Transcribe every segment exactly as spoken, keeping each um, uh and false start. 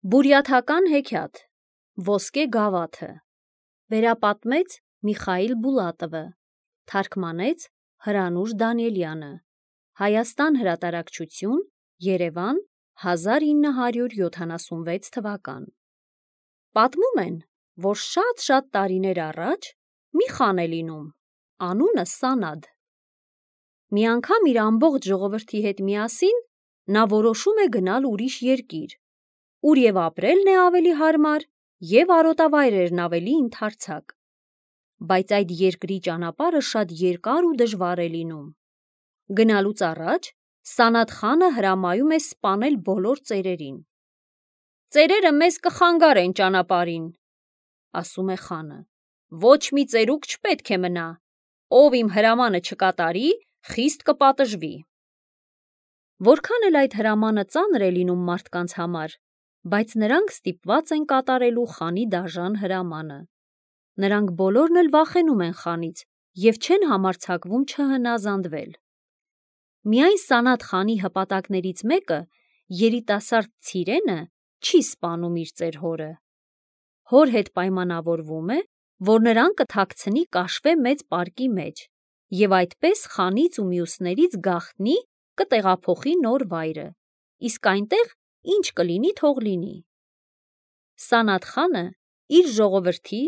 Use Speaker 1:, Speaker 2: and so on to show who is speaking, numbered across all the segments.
Speaker 1: Բուրյաթական հեքիաթ Ոսկե գավաթը վերապատմեց Միխայիլ Բուլատովը, թարգմանեց Հրանուշ Դանիելյանը, Հայաստան հրատարակչություն, Երևան, հազար ինը հարյուր յոթանասունվեց թվական։ Պատմում են, որ շատ-շատ տարիներ առաջ մի խան է լինում, անունը Սանադ։ Մի անգամ իր ամբողջ ժողովրդի հետ միասին նա որոշում է գնալ ուրիշ երկիր, ուր և ապրելն է ավելի հարմար, և արոտավայրերն ավելի ընդարձակ։ Բայց այդ երկրի ճանապարհը շատ երկար ու դժվար է լինում։ Գնալուց առաջ Սանադ խանը հրամայում է սպանել բոլոր ծերերին։ «Ծերերը մեզ կխանգարեն ճանապարհին», ասում է խանը, «ոչ մի ծերուկ չպետք է մնա, ով իմ հրամանը չկատարի, խիստ կպատժվի»։ Որքան էլ այդ հրամանը ծանր է լինում մարդկանց համար, բայց նրանք ստիպված են կատարելու խանի դաժան հրամանը։ Նրանք բոլորն էլ վախենում են խանից և չեն համարձակվում չհնազանդվել։ Միայն Սանադ խանի հպատակներից մեկը, երիտասարդ Ցիրենը, չի սպանում իր ծեր հորը։ Հոր հետ պայմանավորվում է, որ նրան կթաքցնի կաշվե մեծ պարկի մեջ և այդպես խանից ու մյուսներից գաղտնի կտեղափոխի նոր վայրը, իսկ այնտեղ ինչ կլինի թող լինի։ Սանադ խանը իր ժողովրդի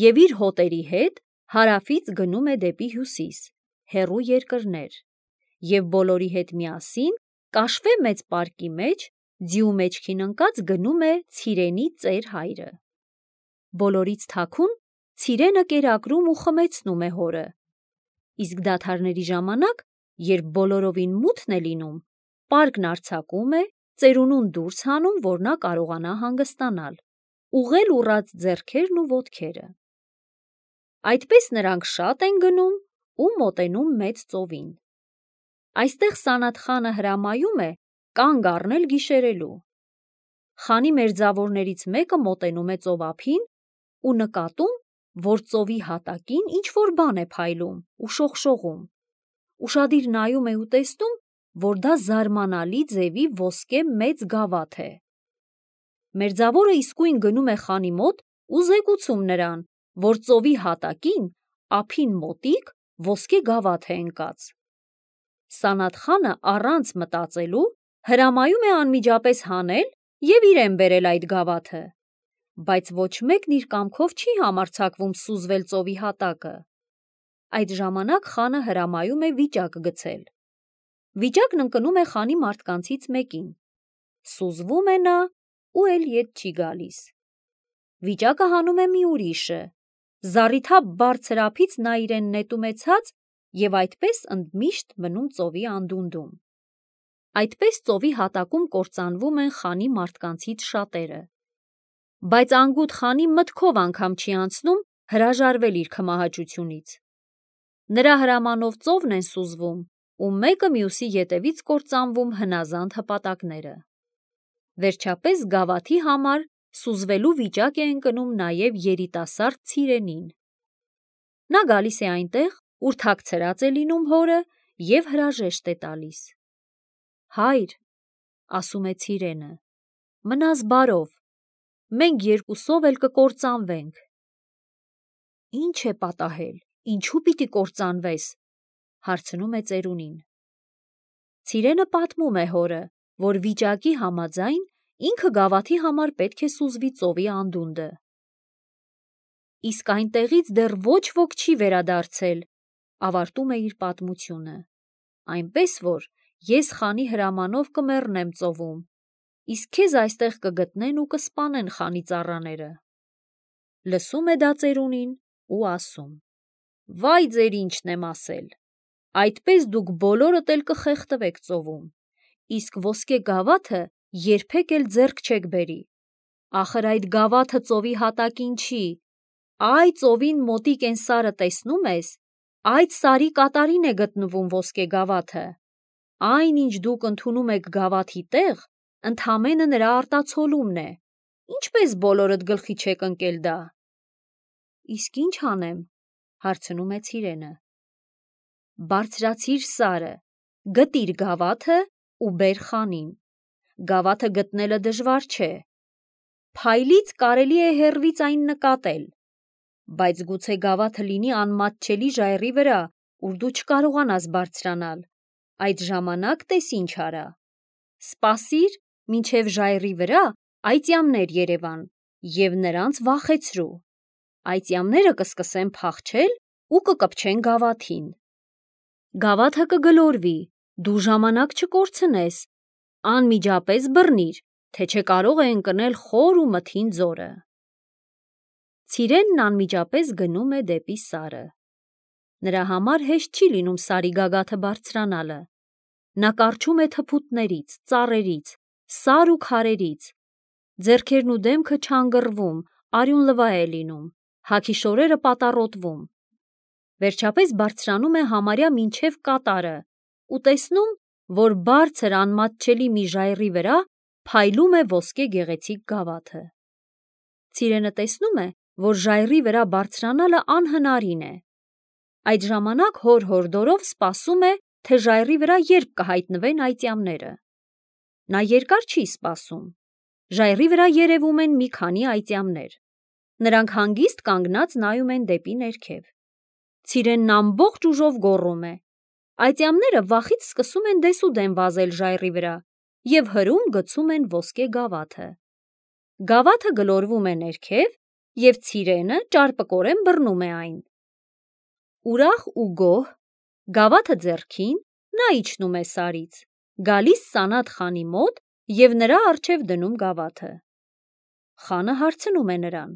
Speaker 1: և իր հոտերի հետ հարավից գնում է դեպի հյուսիս, հեռու երկրներ, և բոլորի հետ միասին կաշվե մեծ պարկի մեջ ձիու մեջքին ընկած գնում է Ցիրենի ծեր հայրը։ Բոլորից թաքուն Ցիրենը կերակրում ու խմեցնում է հորը, իսկ դադարների ժամանակ, երբ բոլորովին մութն է լինում, պարկն արձակում է, ծերունուն դուրս հանում, որ նա կարողանա հանգստանալ, ուղղել ուռած ձեռքերն ու ոտքերը։ Այդպես նրանք շատ են գնում ու մոտենում մեծ ծովին։ Այստեղ Սանադ խանը հրամայում է կանգ առնել գիշերելու։ Խանի մերձավորներից մեկը մոտենում է ծովափին ու նկատում, որ ծովի հատակին ինչ-որ բան է փայլում ու շողշողում։ Ուշադիր նայում է ու տեսնում, որ դա զարմանալի ձևի ոսկե մեծ գավաթ է։ Մերձավորը իսկույն գնում է խանի մոտ ու զեկուցում նրան, որ ծովի հատակին, ափին մոտիկ, ոսկե գավաթ է ընկած։ Սանադ խանը առանց մտածելու հրամայում է անմիջապես հանել և իրեն բերել այդ գավաթը, բայց ոչ մեկն իր կամքով չի համարձակվում սուզվել ծովի հատակը։ Այդ ժամանակ խանը հրամայում է վիճակ գցել։ Վիճակն ընկնում է խանի մարդկանցից մեկին։ Սուզվում է նա ու էլ ետ չի գալիս։ Վիճակը հանում է մի ուրիշը։ Զառիթափ բարձր ափից նա իրեն նետում է ցած և այդպես ընդմիշտ մնում ծովի անդունդում։ Այդպես ծովի հատակում կործանվում են խանի մարդկանցից շատերը։ Բայց անգութ խանի մտքով անգամ չի անցնում հրաժարվել իր քմահաճությունից։ Նրա հրամանով ծովն են սուզվում ու մեկը մյուսի ետևից կործանվում հնազանդ հպատակները։ Վերջապես գավաթի համար սուզվելու վիճակ է ընկնում նաև երիտասարդ Ցիրենին։ Նա գալիս է այնտեղ, ուր թաքցրած է լինում հորը և հրաժեշտ է տալիս։ «Հայր», ասում է Ցիրենը, «մնաս բարով, մենք երկուսով էլ կկործանվենք»։ «Ի՞նչ է պատահել, ինչու պիտի կործանվես», հարցնում է ծերունին։ Ցիրենը պատմում է հորը, որ վիճակի համաձայն ինքը գավաթի համար պետք է սուզվի ծովի անդունդը։ «Իսկ այնտեղից դեռ ոչ ոք չի վերադարձել», ավարտում է իր պատմությունը, «այնպես որ ես խանի հրամանով կմեռնեմ ծովում, իսկ քեզ այստեղ կգտնեն ու կսպանեն խանի ծառաները»։ Լսում է դա ծերունին ու ասում. «Վայ ձեր ինչն եմ ասել, այդպես դուք բոլորդ էլ կխեղդվեք ծովում, իսկ ոսկե գավաթը երբեք էլ ձեռք չեք բերի։ Ախր այդ գավաթը ծովի հատակին չի, այ ծովին մոտիկ էն սարը տեսնում ես, այդ սարի կատարին է գտնվում ոսկե գավաթը։ Այն, ինչ դուք ընդունում եք գավաթի տեղ, ընդամենը նրա արտացոլումն է, ինչպես բոլորդ գլխի չեք ընկել դա»։ «Իսկ ի՞նչ անեմ», հարցնում է Ցիրենը։ «Բարձրացիր սարը, գտիր գավաթը ու բեր խանին։ Գավաթը գտնելը դժվար չէ, Փայլից կարելի է հեռվից այն նկատել, բայց գուցե գավաթը լինի անմատչելի ժայռի վրա, ուր դու չկարողանաս բարձրանալ, այդ ժամանակ տես ինչ արա. սպասիր, մինչև ժայռի վրա այծյամներ երևան և նրանց վախեցրու, այծյամները կսկսեն փախչել ու կկպչեն գավաթին, գավաթը կգլորվի, դու ժամանակ չկորցնես, անմիջապես բռնիր, թե չէ կարող է ընկնել խոր ու մթին ձորը։ Ցիրենն անմիջապես գնում է դեպի Սարը։ Նրա համար հեշտ չի լինում Սարի գագաթը բարձրանալը։ Նա կառչում է թփուտներից, ծառերից, սար ու քարերից, ձեռքերն ու դեմքը չանգռվում, արյուն լվա է լինում, հագի շորերը պատառոտվում։ Վերջապես բարձրանում է համարյա մինչև կատարը ու տեսնում, որ բարձր անմատչելի մի ժայռի վրա փայլում է ոսկե գեղեցիկ գավաթը։ Ցիրենը տեսնում է, որ ժայռի վրա բարձրանալը անհնարին է։ Այդ ժամանակ հոր հորդորով սպասում է, թե ժայռի վրա երբ կհայտնվեն այծյամները։ Նա երկար չի սպասում։ Ժայռի վրա երևում են մի քանի այծյամներ։ Նրանք հանգիստ կանգնած նայում են դեպի ներքև։ Ցիրենն ամբողջ ուժով գոռում է։ Այծյամները վախից սկսում են դեսուդեն վազել ժայռի վրա և հրում գցում են ոսկե գավաթը։ Գավաթը գլորվում է ներքև և Ցիրենը ճարպկորեն բռնում է այն։ Ուրախ ու գոհ, գավաթը ձեռքին, նա իջնում է Սարից, գալիս Սանաթ խանի մոտ և նրա առջև դնում գավաթը։ Խանը հարցնում է նրան.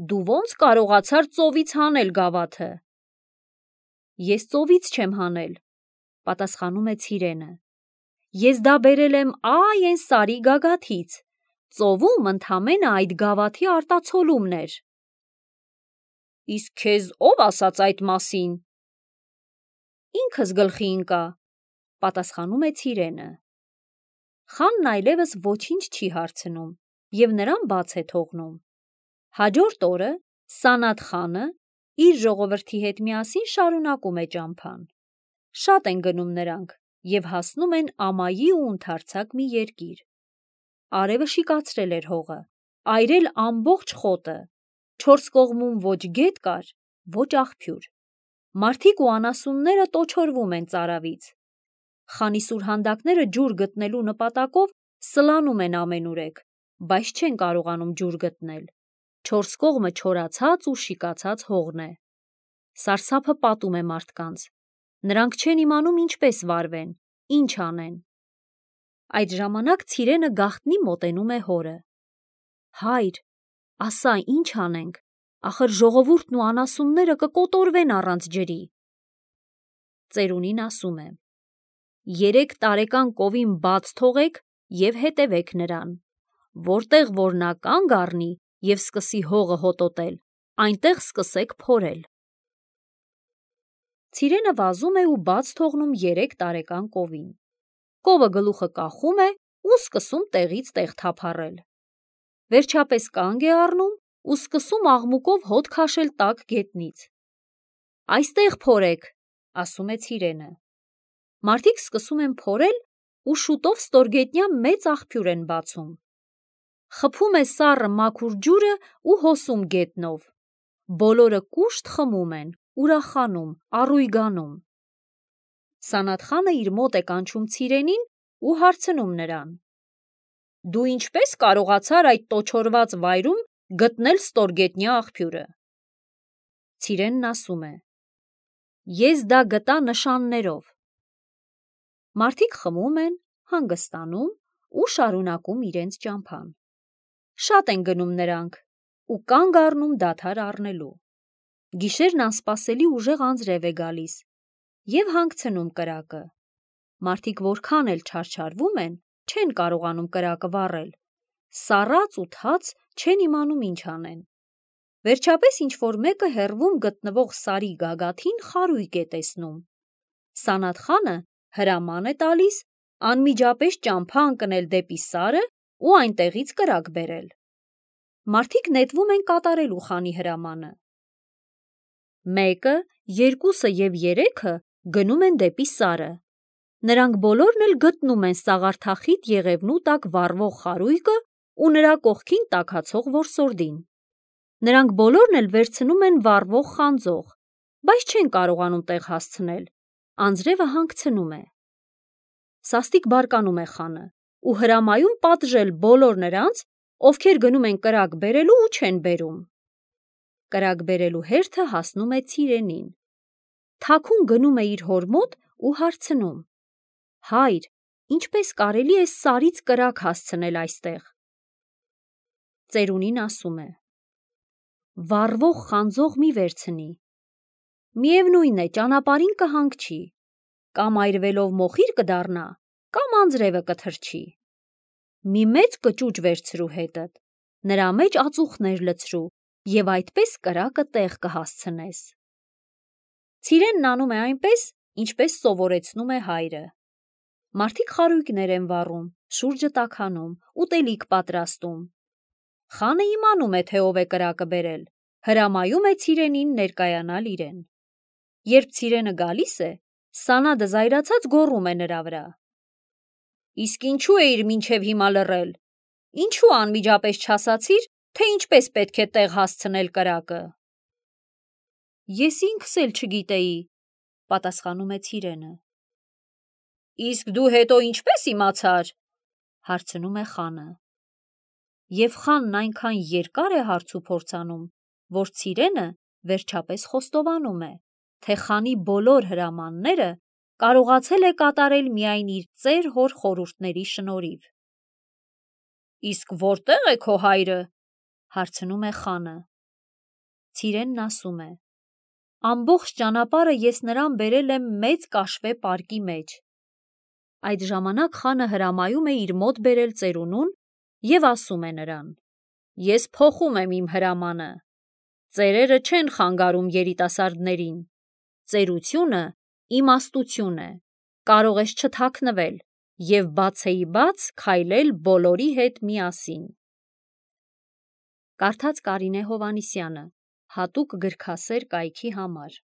Speaker 1: «Դու ո՞նց կարողացար ծովից հանել գավաթը»։ «Ես ծովից չեմ հանել», պատասխանում է Ցիրենը։ «Ես դա բերել եմ այ էն Սարի գագաթից, ծովում ընդամենը այդ գավաթի արտացոլումն էր»։ «Իսկ քեզ ո՞վ ասաց այդ մասին»։ «Ինքս գլխի ընկա», պատասխանում է Ցիրենը։ Խանն այլևս ոչինչ չի հարցնում և նրան բաց է թողնում։ Հաջորդ օրը Սանաթ խանը իր ժողովրդի հետ միասին շարունակում է ճամփան։ Շատ են գնում նրանք և հասնում են ամայի ու ընդարձակ մի երկիր։ Արևը շիկացրել էր հողը, այրել ամբողջ խոտը, չորս կողմում ոչ գետ կար, ոչ աղբյուր։ Մարդիկ ու անասունները տոչորվում են ծարավից։ Խանի սուրհանդակները ջուր գտնելու նպատակով սլանում են ամենուրեք, բայց չեն կարողանում ջուր գտնել։ Չորս կողմը չորացած ու շիկացած հողն է։ Սարսափը պատում է մարդկանց։ Նրանք չեն իմանում ինչպես վարվեն, ինչ անեն։ Այդ ժամանակ Ցիրենը գաղտնի մոտենում է հորը։ «Հայր, ասա, ինչ անենք, ախր ժողովուրդն ու անասունները կկոտորվեն առանց ջրի»։ Ծերունին ասում է. «Երեք տարեկան կովին բաց թողեք և հետևեք նրան, որտեղ որ նա կանգ առնի և սկսի հողը հոտոտել, այնտեղ սկսեք փորել»։ Ցիրենը վազում է ու բաց թողնում երեք տարեկան կովին։ Կովը գլուխը կախում է ու սկսում տեղից տեղ թափառել։ Վերջապես կանգ է առնում ու սկսում աղմուկով հոտ քաշել տաք գետնից։ «Այստեղ փորեք», ասում է Ցիրենը։ Մարդիկ սկսում են փորել ու շուտով ստորգետնյա մեծ աղբյուր են բացում։ Խփում է սառը մաքուր ջուրը ու հոսում գետնով։ Բոլորը կուշտ խմում են, ուրախանում, առույգանում։ Սանաթ խանը իր մոտ է կանչում Ցիրենին ու հարցնում նրան. «Դու ինչպե՞ս կարողացար այդ տոչորված վայրում գտնել ստորգետնյա աղբյուրը»։ Ցիրենն ասում է. «Ես դա գտա նշաններով»։ Մարդիկ խմում են, հանգստանում ու շարունակում իրենց ճամփան։ Շատ են գնում նրանք ու կանգ առնում դադար առնելու։ Գիշերն անսպասելի ուժեղ անձրև է գալիս և հանգցնում կրակը։ Մարդիկ որքան էլ չարչարվում են, չեն կարողանում կրակը վառել։ Սառած ու թաց չեն իմանում ինչ անեն։ Վերջապես ինչ-որ մեկը հեռվում գտնվող Սարի գագաթին խարույկ է տեսնում։ Սանաթ խանը հրաման է տալիս անմիջապես ճամփա ընկնել դեպի Սարը ու այնտեղից կրակ բերել։ Մարդիկ նետվում են կատարելու խանի հրամանը։ Մեկը, երկուսը և երեքը գնում են դեպի Սարը։ Նրանք բոլորն էլ գտնում են սաղարթախիտ եղևնու տակ վառվող խարույկը ու նրա կողքին տաքացող որսորդին։ Նրանք բոլորն էլ վերցնում են վառվող խանձող, բայց չեն կարողանում տեղ հասցնել, անձրևը հանգցնում է։ Սաստիկ բարկանում է խանը ու հրամայում պատժել բոլոր նրանց, ովքեր գնում են կրակ բերելու ու չեն բերում։ Կրակ բերելու հերթը հասնում է Ցիրենին։ Թաքուն գնում է իր հոր մոտ ու հարցնում. «Հայր, ինչպես կարելի է սարից կրակ հասցնել այստեղ»։ Ծերունին ասում է. «Վառվող խանձող մի վերցնի։ Միևնույն է, ճանապարհին կհանգչի, կամ այրվելով մոխիր կդառնա, կամ անձրևը կթրջի։ Մի մեծ կճուճ վերցրու հետդ, նրա մեջ ածուխներ լցրու և այդպես կրակը տեղ կհասցնես»։ Ցիրենն անում է այնպես, ինչպես սովորեցնում է հայրը։ Մարդիկ խարույկներ են վառում, շուրջը տաքանում, ուտելիք պատրաստում։ Խանը իմանում է, թե ով է կրակը բերել, հրամայում է Ցիրենին ներկայանալ իրեն։ Երբ Ցիրենը գալիս է, Սանադը զայրացած գոռում է նրա վրա. «Իսկ ինչու էիր մինչև հիմա լռել, ինչու անմիջապես չասացիր, թե ինչպես պետք է տեղ հասցնել կրակը»։ «Ես ինքս էլ չգիտեի», պատասխանում է Ցիրենը։ «Իսկ դու հետո ինչպես իմացար»։ հարցնում է խանը։ Եվ խանն այնքան երկար է հարց ու փորձ անում, որ Ցիրենը վերջապես խոստովանում է, թե խանի բոլոր հրամանները կարողացել է կատարել միայն իր ծեր հոր խորհուրդների շնորհիվ։ «Իսկ որտե՞ղ է քո հայրը»։ հարցնում է խանը։ Ցիրենն ասում է. «Ամբողջ ճանապարհը ես նրան բերել եմ մեծ կաշվե պարկի մեջ»։ Այդ ժամանակ խանը հրամայում է իր մոտ բերել ծերունուն և ասում է նրան. «Ես փոխում եմ իմ հրամանը։ Ծերերը չեն խանգարում երիտասարդներին։ Ծերությունը իմաստություն է, կարող ես չթաքնվել և բացեիբաց քայլել բոլորի հետ միասին»։ Կարդաց Կարինե Հովհաննիսյանը, հատուկ գրքասեր կայքի համար։